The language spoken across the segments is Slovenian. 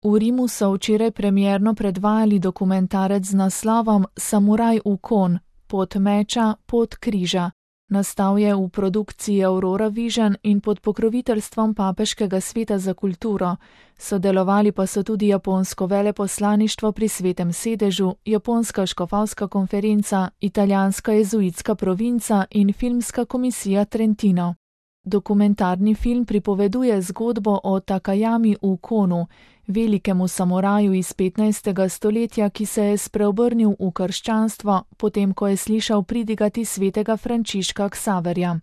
V Rimu so včeraj premierno predvajali dokumentarec z naslovom Samuraj Ukon, pot meča, pot križa. Nastal je v produkciji Aurora Vision in pod pokroviteljstvom Papeškega sveta za kulturo. Sodelovali pa so tudi japonsko veleposlaništvo pri Svetem sedežu, japonska škofovska konferenca, italijanska jezuitska provinca in filmska komisija Trentino. Dokumentarni film pripoveduje zgodbo o Takayami Ukonu, velikemu samuraju iz 15. stoletja, ki se je spreobrnil v krščanstvo, potem ko je slišal pridigati svetega Frančiška Ksaverja.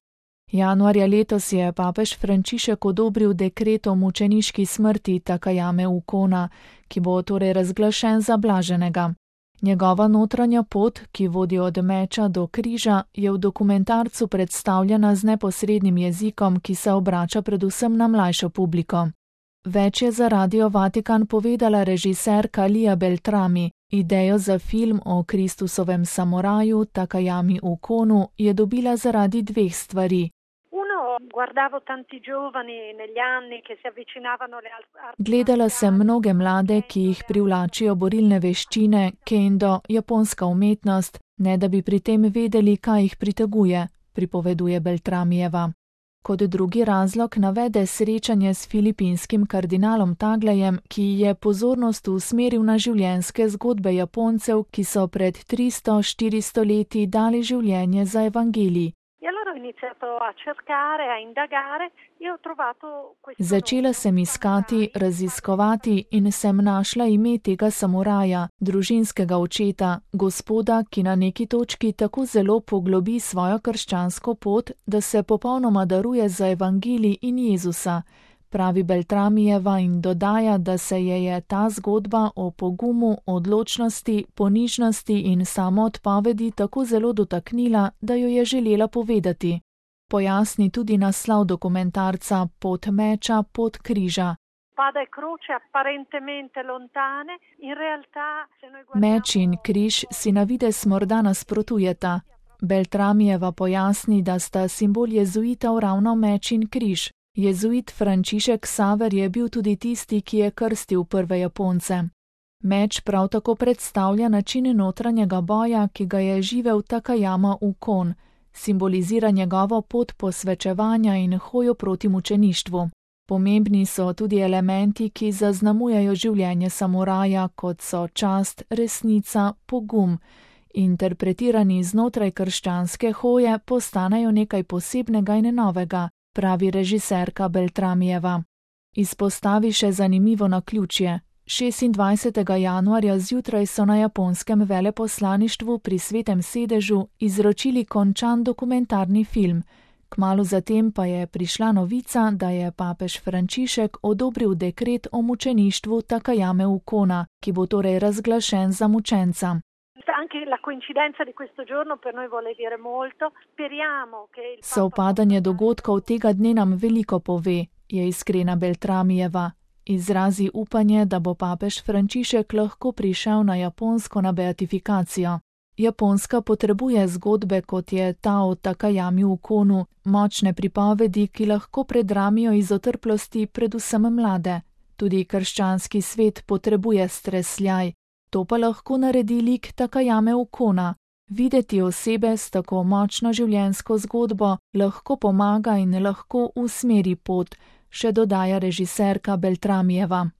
Januarja letos je papež Frančišek odobril dekret o mučeniški smrti Takayame Ukona, ki bo torej razglašen za blaženega. Njegova notranja pot, ki vodi od meča do križa, je v dokumentarcu predstavljena z neposrednim jezikom, ki se obrača predvsem na mlajšo publiko. Več je za Radio Vatikan povedala režiserka Lia Beltrami. Idejo za film o Kristusovem samuraju Takayami Ukonu je dobila zaradi dveh stvari. Gledala sem mnoge mlade, ki jih privlačijo borilne veščine, kendo, japonska umetnost, ne da bi pri tem vedeli, kaj jih priteguje, pripoveduje Beltramijeva. Kot drugi razlog navede srečanje s filipinskim kardinalom Taglejem, ki je pozornost usmeril na življenjske zgodbe Japoncev, ki so pred 300-400 leti dali življenje za evangelij. Začela sem iskati, raziskovati in sem našla ime tega samuraja, družinskega očeta, gospoda, ki na neki točki tako zelo poglobi svojo krščansko pot, da se popolnoma daruje za evangelij in Jezusa, pravi Beltramijeva in dodaja, da se je ta zgodba o pogumu, odločnosti, ponižnosti in samoodpovedi tako zelo dotaknila, da jo je želela povedati. Pojasni tudi naslov dokumentarca Pot meča, pot križa. Meč in križ si na videz morda nasprotujeta. Beltramijeva pojasni, da sta simbol jezuitov ravno meč in križ. Jezuit Frančišek Ksaver je bil tudi tisti, ki je krstil prve Japonce. Meč prav tako predstavlja način notranjega boja, ki ga je živel Takayama Ukon, simbolizira njegovo pot posvečevanja in hojo proti mučeništvu. Pomembni so tudi elementi, ki zaznamujejo življenje samuraja, kot so čast, resnica, pogum. Interpretirani znotraj krščanske hoje postanejo nekaj posebnega in novega, pravi režiserka Beltramijeva. Izpostavi še zanimivo naključje. 26. januarja zjutraj so na japonskem veleposlaništvu pri Svetem sedežu izročili končan dokumentarni film. Kmalu zatem pa je prišla novica, da je papež Frančišek odobril dekret o mučeništvu Takayame Ukona, ki bo torej razglašen za mučenca. Sovpadanje dogodkov tega dne nam veliko pove, je iskrena Beltramijeva. Izrazi upanje, da bo papež Frančišek lahko prišel na Japonsko na beatifikacijo. Japonska potrebuje zgodbe, kot je ta o Takayami Ukonu, močne pripovedi, ki lahko predramijo iz otrplosti predvsem mlade. Tudi krščanski svet potrebuje stresljaj. To pa lahko naredi lik Takayame Ukona. Videti osebe s tako močno življenjsko zgodbo lahko pomaga in lahko usmeri pot, še dodaja režiserka Beltramijeva.